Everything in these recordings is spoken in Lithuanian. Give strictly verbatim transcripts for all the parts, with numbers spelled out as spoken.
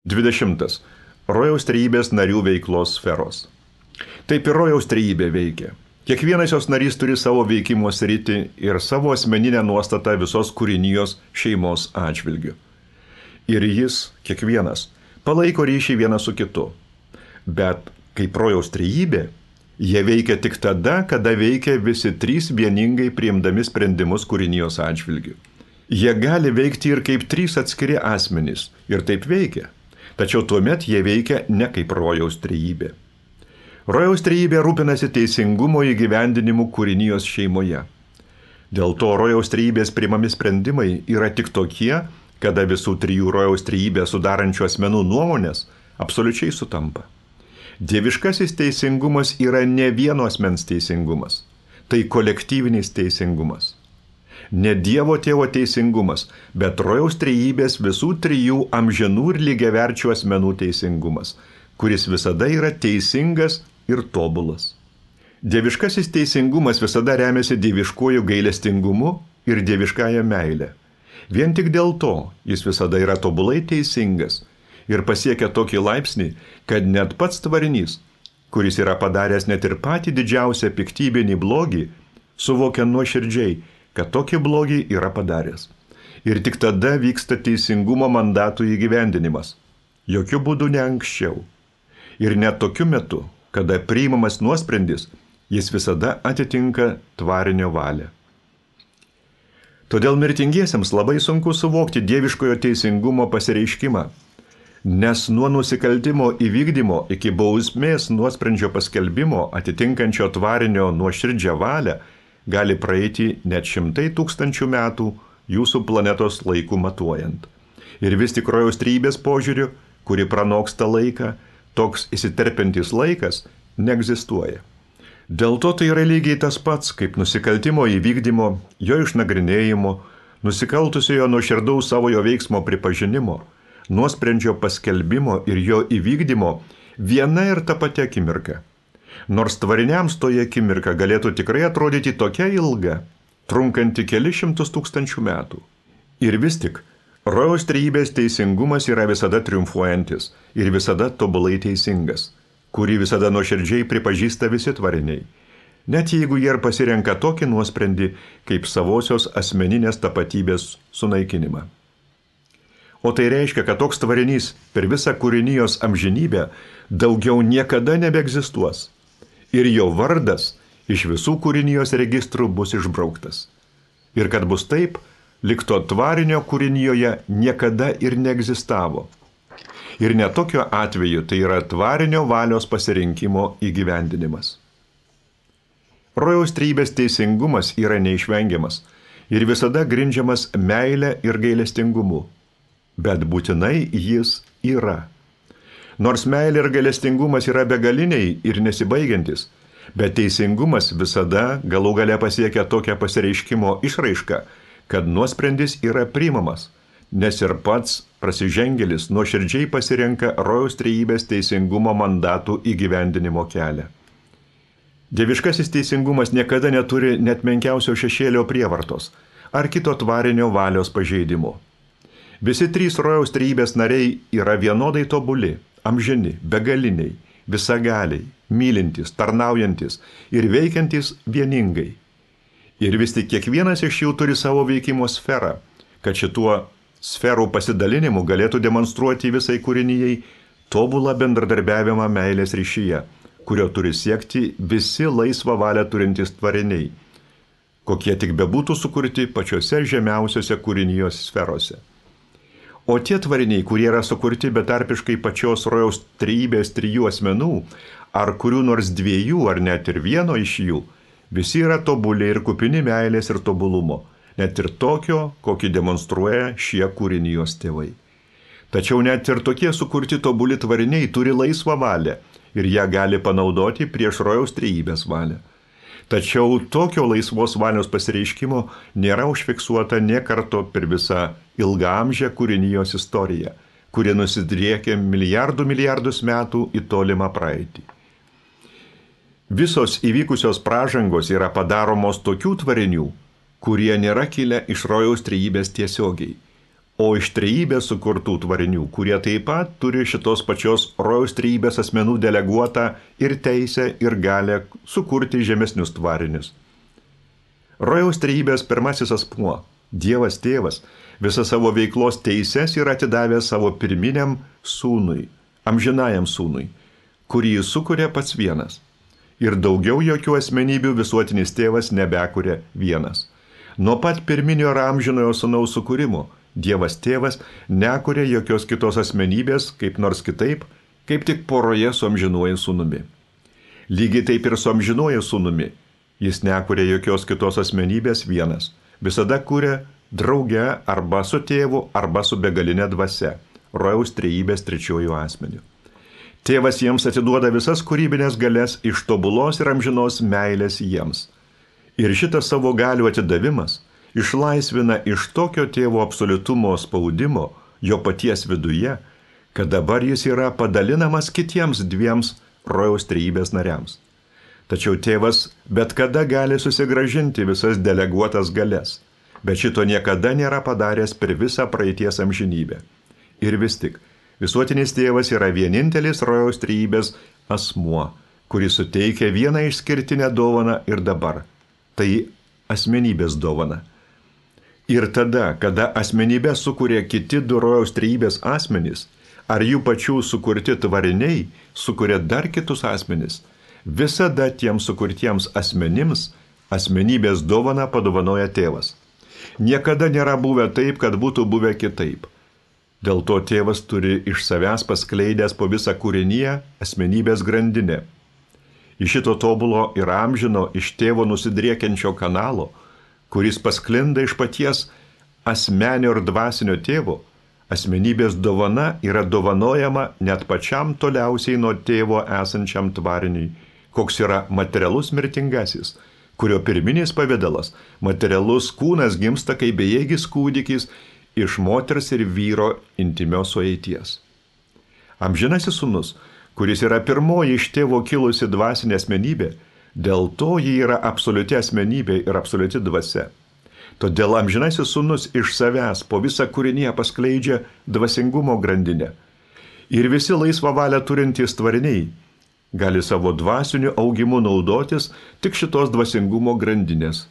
dvidešimtas. Rojaus trejybės narių veiklos sferos. Taip ir rojaus trejybė veikia. Kiekvienas jos narys turi savo veikimo sritį ir savo asmeninę nuostatą visos kūrinijos šeimos atžvilgiu. Ir jis, kiekvienas, palaiko ryšį vienas su kitu. Bet kaip rojaus trejybė, jie veikia tik tada, kada veikia visi trys vieningai priimdami sprendimus kūrinijos atžvilgiu. Jie gali veikti ir kaip trys atskiri asmenys, ir taip veikia. Tačiau tuomet jie veikia ne kaip rojaus trejybė. Rojaus trejybė rūpinasi teisingumo įgyvendinimu kūrinijos šeimoje. Dėl to rojaus trejybės priimami sprendimai yra tik tokie, kada visų trijų rojaus trejybę sudarančių asmenų nuomonės absoliučiai sutampa. Dieviškasis teisingumas yra ne vieno asmens teisingumas, tai kolektyvinis teisingumas. Ne Dievo tėvo teisingumas, bet rojaus trejybės visų trijų amžinų ir lygiaverčių asmenų teisingumas, kuris visada yra teisingas ir tobulas. Dieviškasis teisingumas visada remiasi dieviškuoju gailestingumu ir dieviškąja meile. Vien tik dėl to jis visada yra tobulai teisingas ir pasiekia tokį laipsnį, kad net pats tvarinys, kuris yra padaręs net ir patį didžiausią piktybinį blogį, suvokia nuoširdžiai, kad tokį blogį yra padaręs. Ir tik tada vyksta teisingumo mandatų įgyvendinimas. Jokių būdų ne anksčiau. Ir net tokiu metu, kada priimamas nuosprendis, jis visada atitinka tvarinio valią. Todėl mirtingiesiems labai sunku suvokti dieviškojo teisingumo pasireiškimą, nes nuo nusikaltimo įvykdymo iki bausmės nuosprendžio paskelbimo atitinkančio tvarinio nuoširdžią valią gali praeiti net šimtai tūkstančių metų jūsų planetos laikų matuojant. Ir vis tik rojaus trejybės požiūriu, kuri pranoksta laiką, toks įsiterpiantis laikas neegzistuoja. Dėl to tai yra lygiai tas pats, kaip nusikaltimo įvykdymo, jo išnagrinėjimo, nusikaltusiojo nuoširdaus savojo veiksmo pripažinimo, nuosprendžio paskelbimo ir jo įvykdymo viena ir ta pati akimirka. Nors tvariniams toje akimirka galėtų tikrai atrodyti tokia ilga, trunkanti keli šimtus tūkstančių metų. Ir vis tik, rojaus trejybės teisingumas yra visada triumfuojantis ir visada tobulai teisingas, kurį visada nuoširdžiai pripažįsta visi tvariniai, net jeigu jie ir pasirenka tokį nuosprendį kaip savosios asmeninės tapatybės sunaikinimą. O tai reiškia, kad toks tvarinys per visą kūrinijos amžinybę daugiau niekada nebeegzistuos. Ir jo vardas iš visų kūrinijos registrų bus išbrauktas. Ir kad bus taip, lyg to tvarinio kūrinijoje niekada ir neegzistavo. Ir net tokio atveju tai yra tvarinio valios pasirinkimo įgyvendinimas. Rojaus trejybės teisingumas yra neišvengiamas ir visada grindžiamas meile ir gailestingumu. Bet būtinai jis yra. Nors meilė ir gailestingumas yra begaliniai ir nesibaigiantis, bet teisingumas visada galų gale pasiekia tokią pasireiškimo išraišką, kad nuosprendis yra priimamas, nes ir pats prasižengėlis nuoširdžiai pasirenka rojaus trejybės teisingumo mandatų įgyvendinimo kelią. Dieviškasis teisingumas niekada neturi net menkiausio šešėlio prievartos ar kito tvarinio valios pažeidimo. Visi trys rojaus trejybės nariai yra vienodai tobuli, amžini, begaliniai, visagaliai, mylintys, tarnaujantis ir veikiantys vieningai. Ir vis tik kiekvienas iš jų turi savo veikimo sferą, kad šituo sferų pasidalinimu galėtų demonstruoti visai kūrinijai tobulą bendradarbiavimą meilės ryšyje, kurio turi siekti visi laisvą valią turintys tvariniai, kokie tik bebūtų sukurti pačiose žemiausiose kūrinijos sferose. O tie tvariniai, kurie yra sukurti betarpiškai pačios rojaus trejybės trijų asmenų, ar kurių nors dviejų, ar net ir vieno iš jų, visi yra tobuli ir kupini meilės ir tobulumo, net ir tokio, kokį demonstruoja šie kūrinijos tėvai. Tačiau net ir tokie sukurti tobuli tvariniai turi laisvą valią ir ją gali panaudoti prieš rojaus trejybės valią. Tačiau tokio laisvos valios pasireiškimo nėra užfiksuota nė karto per visą ilgaamžę kūrinijos istoriją, kuri nusidriekia milijardų milijardus metų į tolimą praeitį. Visos įvykusios pražangos yra padaromos tokių tvarinių, kurie nėra kilę iš rojaus trejybės tiesiogiai, o iš trejybės sukurtų tvarinių, kurie taip pat turi šitos pačios rojaus trejybės asmenų deleguotą ir teisę ir galę sukurti žemesnius tvarinius. Rojaus trejybės pirmasis asmuo, Dievas tėvas, visą savo veiklos teises yra atidavęs savo pirminiam sūnui, amžinajam sūnui, kurį jis sukuria pats vienas. Ir daugiau jokių asmenybių visuotinis tėvas nebekuria vienas. Nuo pat pirminio ir amžinojo sūnaus sukūrimo Dievas tėvas nekuria jokios kitos asmenybės, kaip nors kitaip, kaip tik poroje su amžinuoju sūnumi. Lygiai taip ir su amžinuoju sūnumi. Jis nekuria jokios kitos asmenybės vienas. Visada kuria drauge arba su tėvu, arba su begalinė dvasia, rojaus trejybės trečiojų asmeniu. Tėvas jiems atiduoda visas kūrybinės galės iš tobulos ir amžinos meilės jiems. Ir šitas savo galių atidavimas išlaisvina iš tokio tėvo absoliutumo spaudimo jo paties viduje, kad dabar jis yra padalinamas kitiems dviems rojaus trejybės nariams. Tačiau tėvas bet kada gali susigrąžinti visas deleguotas galės, bet šito niekada nėra padaręs per visą praeities amžinybę. Ir vis tik, visuotinis tėvas yra vienintelis rojaus trejybės asmuo, kuris suteikia vieną išskirtinę dovaną ir dabar. Tai asmenybės dovana. Ir tada, kada asmenybę sukuria kiti du rojaus trejybės asmenys, ar jų pačių sukurti tvariniai sukuria dar kitus asmenys, visada tiems sukurtiems asmenims asmenybės dovaną padovanoja tėvas. Niekada nėra buvę taip, kad būtų buvę kitaip. Dėl to tėvas turi iš savęs paskleidęs po visą kūrinyje asmenybės grandinę. Iš šito tobulo ir amžino iš tėvo nusidriekiančio kanalo, kuris pasklinda iš paties asmenio ir dvasinio tėvo, asmenybės dovana yra dovanojama net pačiam toliausiai nuo tėvo esančiam tvariniui, koks yra materialus mirtingasis, kurio pirminis pavidalas, materialus kūnas gimsta kaip bejėgis kūdikis iš moters ir vyro intimios sueities. Amžinasis sūnus, kuris yra pirmoji iš tėvo kilusi dvasinė asmenybė, dėl to ji yra absoliuti asmenybė ir absoliuti dvasia. Todėl amžinasis sūnus iš savęs po visą kūrinyje paskleidžia dvasingumo grandinę. Ir visi laisvą valią turintys tvariniai gali savo dvasiniu augimu naudotis tik šitos dvasingumo grandinės,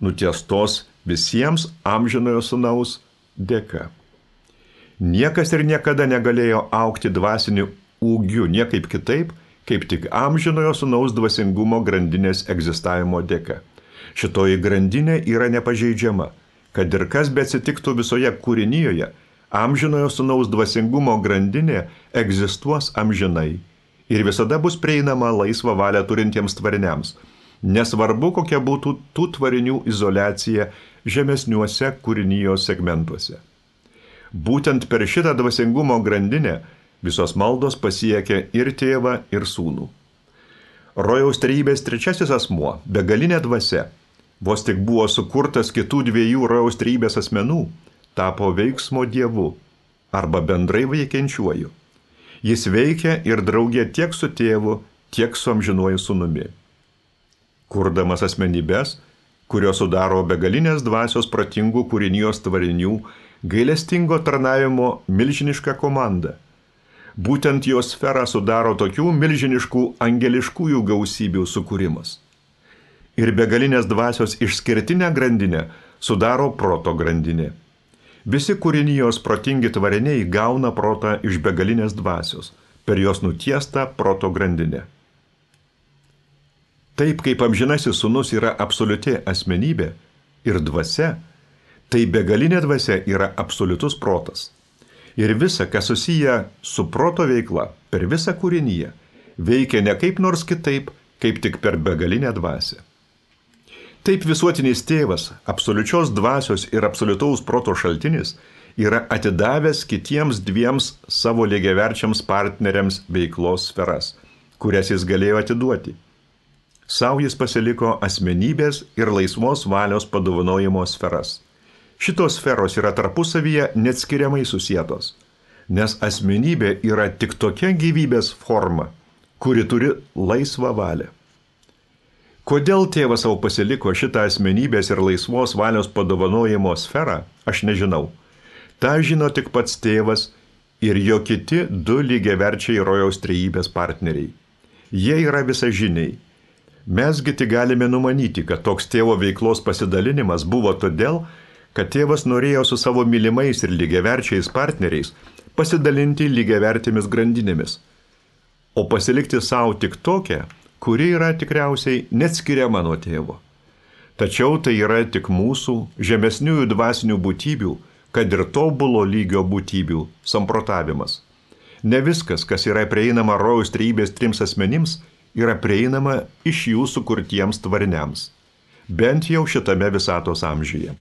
nutiestos visiems amžinojo sūnaus dėka. Niekas ir niekada negalėjo augti dvasiniu ūgiu niekaip kitaip, kaip tik amžinojo sūnaus dvasingumo grandinės egzistavimo dėka. Šitoji grandinė yra nepažeidžiama, kad ir kas beatsitiktų visoje kūrinyjoje, amžinojo sūnaus dvasingumo grandinė egzistuos amžinai ir visada bus prieinama laisvą valią turintiems tvariniams, nesvarbu kokia būtų tų tvarinių izoliacija žemesniuose kūrinijos segmentuose. Būtent per šitą dvasingumo grandinę visos maldos pasiekia ir tėvą, ir sūnų. Rojaus trejybės trečiasis asmuo, begalinė dvasia, vos tik buvo sukurtas kitų dviejų rojaus trejybės asmenų, tapo veiksmo dievu arba bendrai veikiančiuoju. Jis veikia ir draugė tiek su tėvu, tiek su amžinuoju sūnumi. Kurdamas asmenybės, kurios sudaro begalinės dvasios protingų kūrinijos tvarinių, gailestingo tarnavimo milžinišką komandą. Būtent jos sferą sudaro tokių milžiniškų angeliškųjų gausybių sukūrimas. Ir begalinės dvasios išskirtinę grandinę sudaro proto grandinė. Visi kūrinijos protingi tvariniai gauna protą iš begalinės dvasios, per jos nutiestą proto grandinę. Taip kaip amžinasis sūnus yra absoliuti asmenybė ir dvasia, tai begalinė dvasia yra absoliutus protas. Ir visa, kas susiję su proto veikla per visą kūrinyje, veikia ne kaip nors kitaip, kaip tik per begalinę dvasią. Taip visuotinis tėvas, absoliučios dvasios ir absoliutaus proto šaltinis, yra atidavęs kitiems dviems savo lygiaverčiams partneriams veiklos sferas, kurias jis galėjo atiduoti. Sau jis pasiliko asmenybės ir laisvos valios padovanojimo sferas. Šitos sferos yra tarpusavyje neatskiriamai susietos, nes asmenybė yra tik tokia gyvybės forma, kuri turi laisvą valią. Kodėl tėvas savo pasiliko šitą asmenybės ir laisvos valios padovanojimo sferą, aš nežinau. Ta žino tik pats tėvas ir jo kiti du lygiaverčiai rojaus trejybės partneriai. Jie yra visažiniai. Mesgi tik galime numanyti, kad toks tėvo veiklos pasidalinimas buvo todėl, kad tėvas norėjo su savo mylimais ir lygiaverčiais partneriais pasidalinti lygiavertėmis grandinėmis, o pasilikti savo tik tokią, kuri yra tikriausiai neatskiriama nuo tėvo. Tačiau tai yra tik mūsų žemesniųjų dvasinių būtybių, kad ir tobulo lygio būtybių samprotavimas. Ne viskas, kas yra prieinama rojaus trejybės trims asmenims, yra prieinama iš jų sukurtiems tvariniams, bent jau šitame visatos amžiuje.